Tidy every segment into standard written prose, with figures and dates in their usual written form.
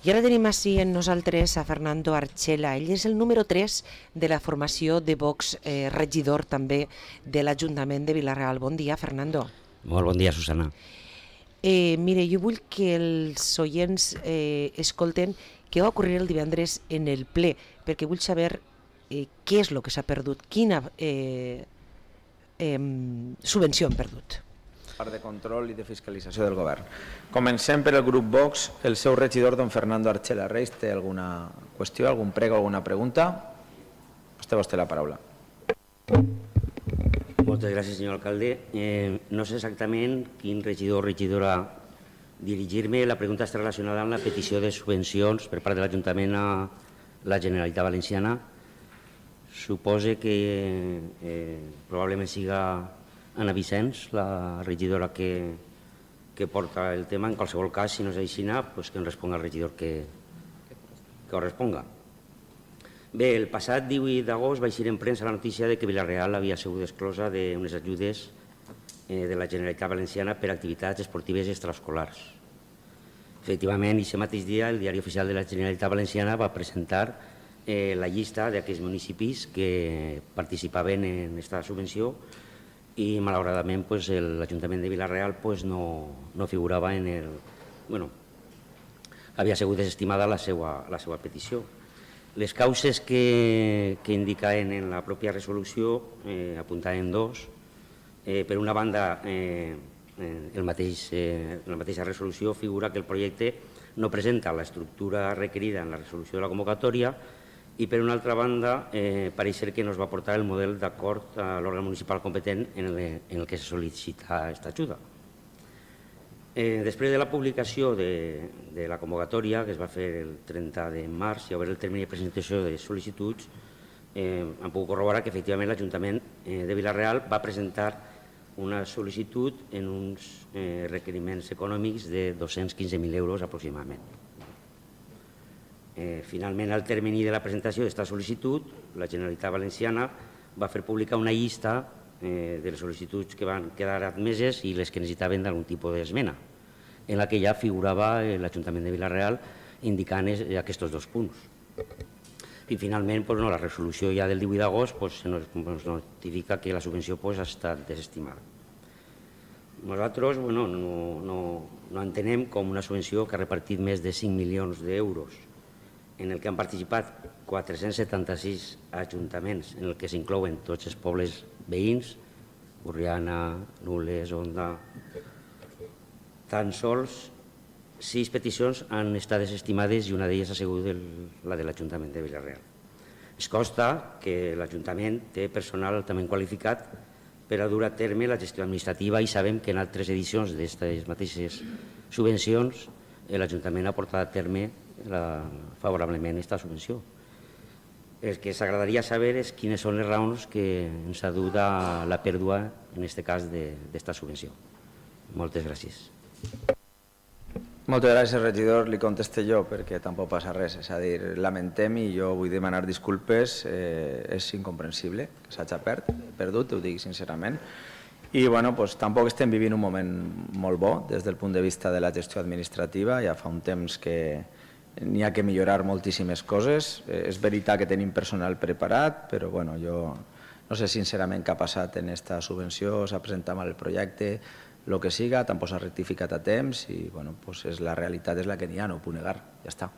I ara tenim així en nosaltres a Fernando Archela. Ell és el número 3 de la formació de Vox, regidor també de l'Ajuntament de Vila-real. Bon dia, Fernando. Molt bon dia, Susana. Mire, jo vull que els oients escolten què va ocorrir el divendres en el ple, perquè vull saber què és el que s'ha perdut, quina subvenció han perdut. Part de control i de fiscalització del govern. Comencem per el grup Vox. El seu regidor, don Fernando Archela Reis, té alguna qüestió, algun prego, alguna pregunta? Vostè la paraula. Moltes gràcies, senyor alcalde. No sé exactament quin regidor o regidora dirigir-me. La pregunta està relacionada amb la petició de subvencions per part de l'Ajuntament a la Generalitat Valenciana. Supose que probablement siga Ana Vicens, la regidora que porta el tema. En qualsevol cas, si no és així, pues que en responga el regidor que corresponga. Bé, el passat 18 d'agost va eixir en premsa la notícia de que Vila-real havia sigut exclosa d'unes ajudes de la Generalitat Valenciana per activitats esportives extraescolars. Efectivament, aquest mateix dia, el Diari Oficial de la Generalitat Valenciana va presentar la llista d'aquests municipis que participaven en aquesta subvenció i, malauradament, l'Ajuntament de Vila-real no figurava en el... Bueno, havia sigut desestimada la seva petició. Les causes que indicaven en la pròpia resolució apuntaven dos. Per una banda, en la mateixa resolució figura que el projecte no presenta l'estructura requerida en la resolució de la convocatòria i, per una altra banda, pareix ser que no es va portar el model d'acord a l'òrgan municipal competent en el que se sol·licita aquesta ajuda. Després de la publicació de la convocatòria, que es va fer el 30 de març, i a veure el termini de presentació de sol·licituds, hem pogut corroborar que efectivament l'Ajuntament de Vila-real va presentar una sol·licitud en uns requeriments econòmics de 215.000 euros aproximadament. Finalment, al termini de la presentació d'aquesta sol·licitud, la Generalitat Valenciana va fer pública una llista de les sol·licituds que van quedar admeses i les que necessitaven d'algun tipus d'esmena, en la que ja figurava l'Ajuntament de Vila-real indicant aquests dos punts. I finalment, la resolució ja del 18 d'agost ens notifica que la subvenció ha estat desestimada. Nosaltres no entenem com una subvenció que ha repartit més de 5 milions d'euros, en el que han participat 476 ajuntaments, en el que s'inclouen tots els pobles veïns, Borriana, Nules, Onda. Tan sols 6 peticions han estat desestimades i una d'elles ha sigut la de l'Ajuntament de Vila-real. Es consta que l'Ajuntament té personal altament qualificat per a dur a terme la gestió administrativa i sabem que en altres edicions d'aquestes mateixes subvencions l'Ajuntament ha portat a terme favorablement aquesta subvenció. El que s'agradaria saber és quines són les raons que ens ha dut a la pèrdua, en aquest cas, d'esta subvenció. Moltes gràcies. Moltes gràcies, regidor. Li contesté jo perquè tampoc passa res. És a dir, lamentem i jo vull demanar disculpes. És incomprensible que s'hagi perdut, ho dic sincerament. I tampoc estem vivint un moment molt bo des del punt de vista de la gestió administrativa. Ja fa un temps que n'hi ha que millorar moltíssimes coses. És veritat que tenim personal preparat, però jo no sé sincerament què ha passat en aquesta subvenció, s'ha presentat mal el projecte, el que siga, tampoc s'ha rectificat a temps i la realitat és la que n'hi ha, no ho puc negar, ja està.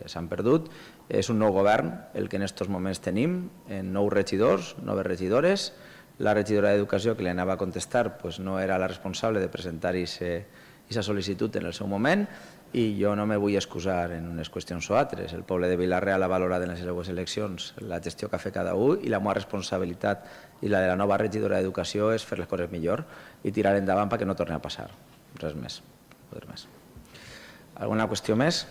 S'han perdut. És un nou govern el que en aquests moments tenim, nous regidors, noves regidores. La regidora d'Educació, que li anava a contestar, no era la responsable de presentar aquesta sol·licitud en el seu moment i jo no me vull excusar en unes qüestions o altres. El poble de Vila-real ha valorat en les seues eleccions la gestió que ha fet cada un i la meva responsabilitat i la de la nova regidora d'Educació és fer les coses millor i tirar endavant perquè no torni a passar. Res més. Alguna qüestió més?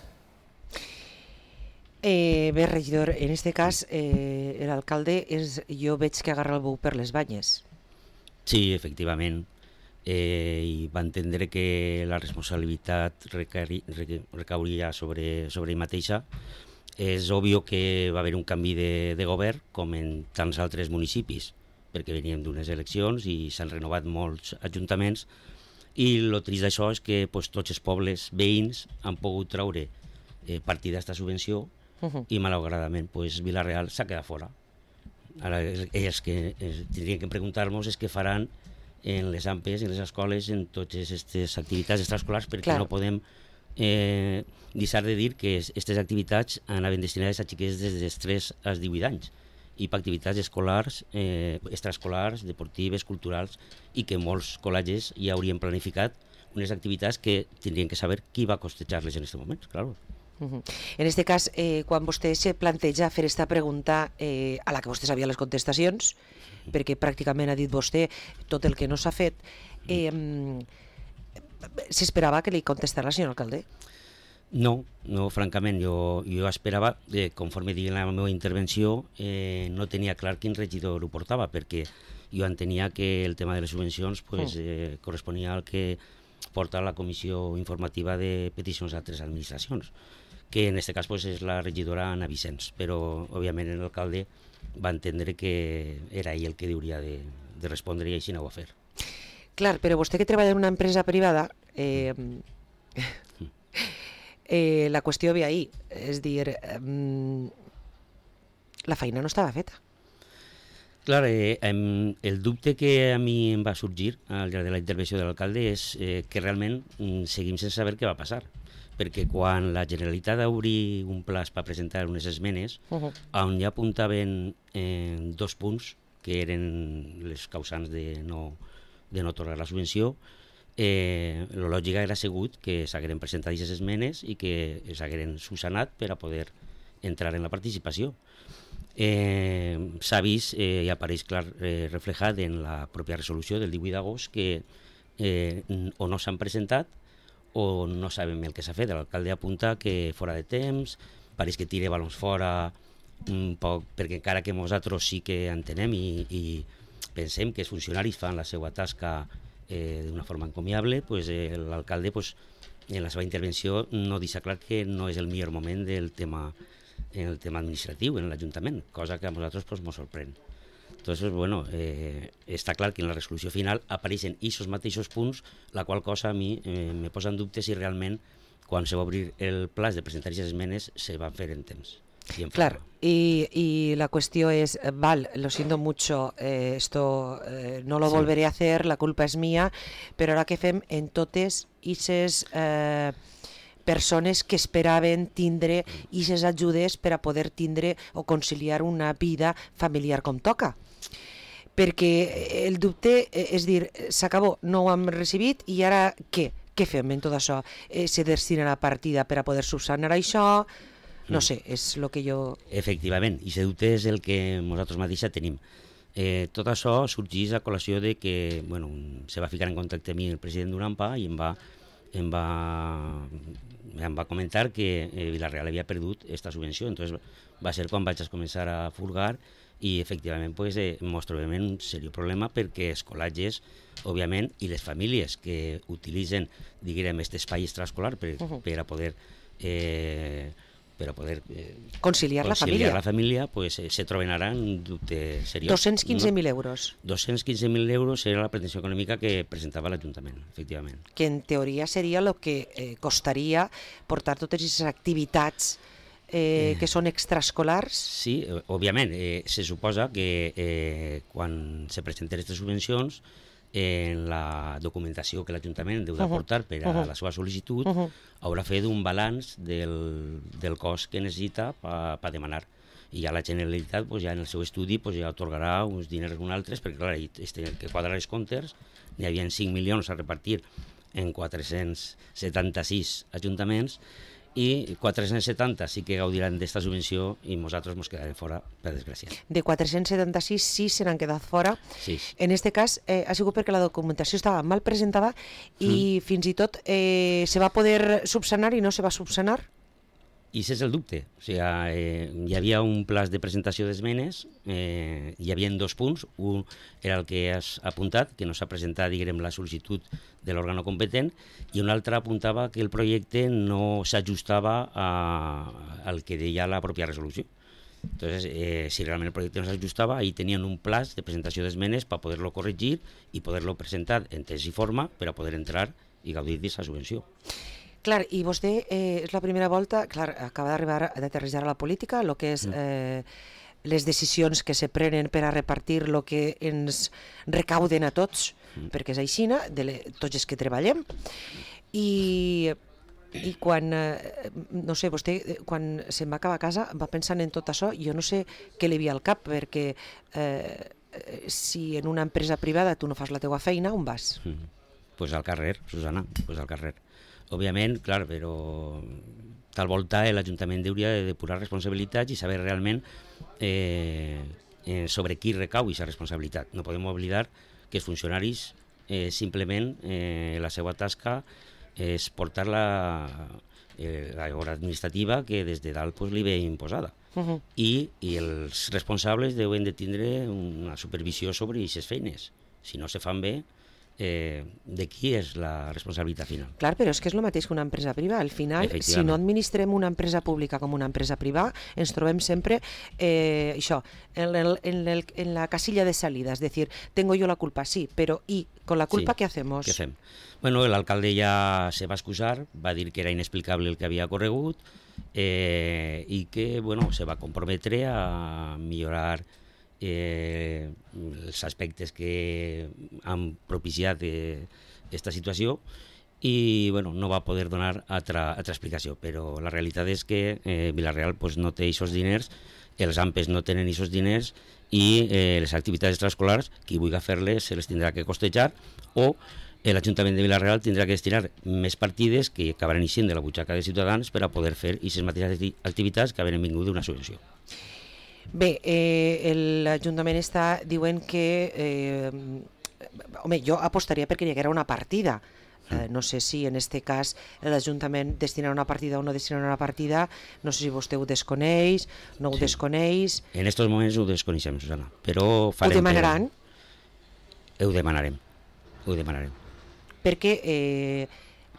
Bé, regidor, en aquest cas l'alcalde jo veig que agarra el bou per les banyes. Sí, efectivament. I va entendre que la responsabilitat recauria sobre ell mateixa. És obvi que va haver un canvi de govern, com en tants altres municipis, perquè veníem d'unes eleccions i s'han renovat molts ajuntaments i el trist d'això és que tots els pobles veïns han pogut traure partida aquesta subvenció i malauradament pues, Vila-real s'ha quedat fora. Ara ells que tindrien que preguntar-nos és què faran en les AMPEs, en les escoles, en totes aquestes activitats extraescolars, perquè no podem deixar de dir que aquestes activitats anaven destinades a xiquets des dels 3 als 18 anys i per activitats escolars, extraescolars, deportives, culturals, i que molts col·legis ja haurien planificat unes activitats que tindrien que saber qui va costejar-les en aquest moment, claro. En este cas, quan vostè se planteja fer esta pregunta a la que vostè sabia les contestacions, perquè pràcticament ha dit vostè tot el que no s'ha fet, s'esperava que li contestara el senyor alcalde? No, francament, jo esperava, conforme digui la meva intervenció, no tenia clar quin regidor ho portava, perquè jo entenia que el tema de les subvencions corresponia al que porta la comissió informativa de peticions a altres administracions, que en aquest cas és la regidora Ana Vicens, però òbviament l'alcalde va entendre que era ell el que hauria de respondre i així no ho va fer. Clar, però vostè que treballa en una empresa privada, la qüestió ve ahí, és dir, la feina no estava feta. Clar, el dubte que a mi em va sorgir al llarg de la intervenció de l'alcalde és que realment seguim sense saber què va passar, perquè quan la Generalitat va obrir un plaç per presentar unes esmenes, on ja apuntaven 2 punts que eren les causants de no atorgar la subvenció, la lògica era segut que s'hagueren presentat aquestes esmenes i que s'hagueren subsanat per a poder entrar en la participació. S'ha vist i apareix clar reflejat en la pròpia resolució del 18 d'agost que o no s'han presentat o no sabem el que s'ha fet. L'alcalde apunta que fora de temps, pareix que tira balons fora un poc, perquè encara que nosaltres sí que entenem i pensem que els funcionaris fan la seva tasca d'una forma encomiable, l'alcalde en la seva intervenció no deixa clar que no és el millor moment del tema administratiu en l'Ajuntament, cosa que a nosaltres ens sorprèn. Entonces, bueno, està clar que en la resolució final apareixen aquests mateixos punts, la qual cosa a mi me posa en dubte si realment quan se va obrir el plaç de presentar aquestes esmenes se van fer en temps. Claro, y la cuestión es, lo siento mucho, esto no lo volveré a hacer, la culpa es mía, pero ahora que fem en totes aquestes persones que esperaven tindre aquestes ajudes per a poder tindre o conciliar una vida familiar com toca. Perquè el dubte és dir, s'acabó, no ho hem recibit i ara què? Què fem en tot això? Se destina la partida per a poder subsanar això? No sé, és el que jo... Efectivament, i aquest dubte és el que nosaltres mateixa tenim. Tot això sorgeix a col·lació de que se va ficar en contacte amb mi el president d'UNAMPA i em va comentar que Vila-real havia perdut aquesta subvenció. Entonces va ser quan vaig començar a furgar i efectivament ens trobem en un seriós problema perquè els col·legis, òbviament, i les famílies que utilitzen, diguem, aquest espai extraescolar per a poder conciliar la família, se troben ara en un dubte seriós. 215.000 euros. 215.000 euros era la pretensió econòmica que presentava l'Ajuntament, efectivament. Que en teoria seria el que costaria portar totes aquestes activitats que són extraescolars? Sí, òbviament. Se suposa que quan se presenten aquestes subvencions, en la documentació que l'Ajuntament deu d'aportar per a la seva sol·licitud, haurà fet un balanç del cost que necessita per demanar. I ja la Generalitat, ja en el seu estudi, ja atorgarà uns diners uns altres, perquè clar, que quadrar els comptes, n'hi havia 5 milions a repartir en 476 ajuntaments, i 470 sí que gaudiran d'esta subvenció i nosaltres ens quedarem fora, per desgràcia. De 476 sí se n'han quedat fora. Sí. En aquest cas ha sigut perquè la documentació estava mal presentada i fins i tot se va poder subsanar i no se va subsanar? I aquest és el dubte. O sigui, hi havia un plaç de presentació d'esmenes, hi havia 2 punts. Un era el que has apuntat, que no s'ha presentat, diguem, la sol·licitud de l'òrgano competent, i un altre apuntava que el projecte no s'ajustava al que deia la pròpia resolució. Entonces, si realment el projecte no s'ajustava, ahí tenien un plaç de presentació d'esmenes per poder-lo corregir i poder-lo presentar en temps i forma per a poder entrar i gaudir d'aquesta subvenció. Clar, i vostè és la primera volta, clar, acaba d'arribar d'aterrissar a la política, el que és les decisions que se prenen per a repartir el que ens recauden a tots, perquè és així, tots els que treballem. I quan, no sé, vostè, quan se'n va acabar a casa, va pensant en tot això, jo no sé què li havia al cap, perquè si en una empresa privada tu no fas la teua feina, on vas? Pues al carrer, Susana, pues al carrer. Òbviament, clar, però tal volta l'Ajuntament hauria de depurar responsabilitats i saber realment sobre qui recau aquesta responsabilitat. No podem oblidar que els funcionaris simplement la seva tasca és portar l'hora administrativa que des de dalt li ve imposada. I els responsables deuen de tindre una supervisió sobre aquestes feines. Si no se fan bé, de qui és la responsabilitat final? Clar, però és que és el mateix que una empresa privada. Al final, si no administrem una empresa pública com una empresa privada, ens trobem sempre això, en la casilla de salida, és dir, tengo yo la culpa, sí, però ¿y con la culpa qué hacemos? ¿Qué hacemos? Bueno, el alcalde ya se va a excusar, va a dir que era inexplicable el que havia corregut i que, bueno, se va comprometre a millorar els aspectes que han propiciat aquesta situació i bueno, no va poder donar altra explicació, però la realitat és que Vila-real pues, no té aquests diners, els AMPEs no tenen aquests diners i les activitats extraescolars, qui vulgui fer-les se les tindrà que costejar o l'Ajuntament de Vila-real tindrà que destinar més partides que acabaran eixint de la butxaca de ciutadans per a poder fer aquestes mateixes activitats que havien vingut d'una subvenció. Bé, l'Ajuntament està diuen que home, jo apostaria perquè hi haguera una partida. No sé si en aquest cas l'Ajuntament destinarà una partida o no destinarà una partida, no sé si vostè ho desconeix, no ho desconeix. En aquests moments ho desconeixem, Susana, però farem... Ho demanaran? Ho demanarem. Perquè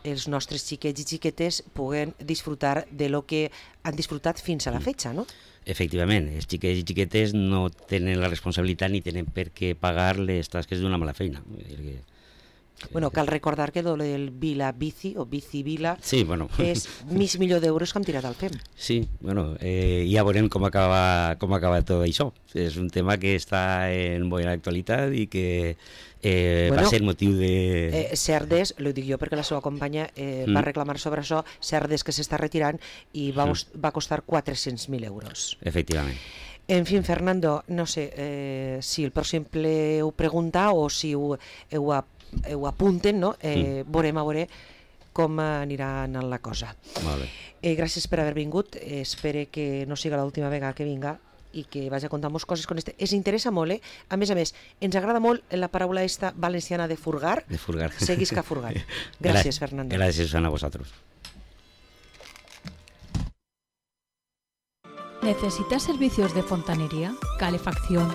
els nostres xiquets i xiquetes puguen disfrutar de lo que han disfrutat fins a la fetge, no? Efectivament, els xiquets i xiquetes no tenen la responsabilitat ni tenen per què pagar les tasques d'una mala feina. Bueno, cal recordar que el Vila Bici o Bici Vila és mig milió d'euros que hem tirat al FEM. Sí, bueno, ja veurem com acaba tot això. És un tema que està en bona actualitat i que va ser motiu de... Cerdes, ho dic jo perquè la seva companya va reclamar sobre això, Cerdes que s'està retirant i va costar 400.000 euros. Efectivament. En fi, Fernando, no sé si el pròxim ple ho pregunta o si ho apunten, no? Veurem a veure com anirà anant la cosa. Molt bé. Gràcies per haver vingut, espero que no siga l'última vegada que vinga i que vagi a contar-nos coses con este. Es interessa molt, a més, ens agrada molt la paraula esta valenciana de furgar. De furgar. Seguisca furgant. Gràcies, Fernando. Gràcies a vosotros. ¿Necesitas servicios de fontanería, calefacción,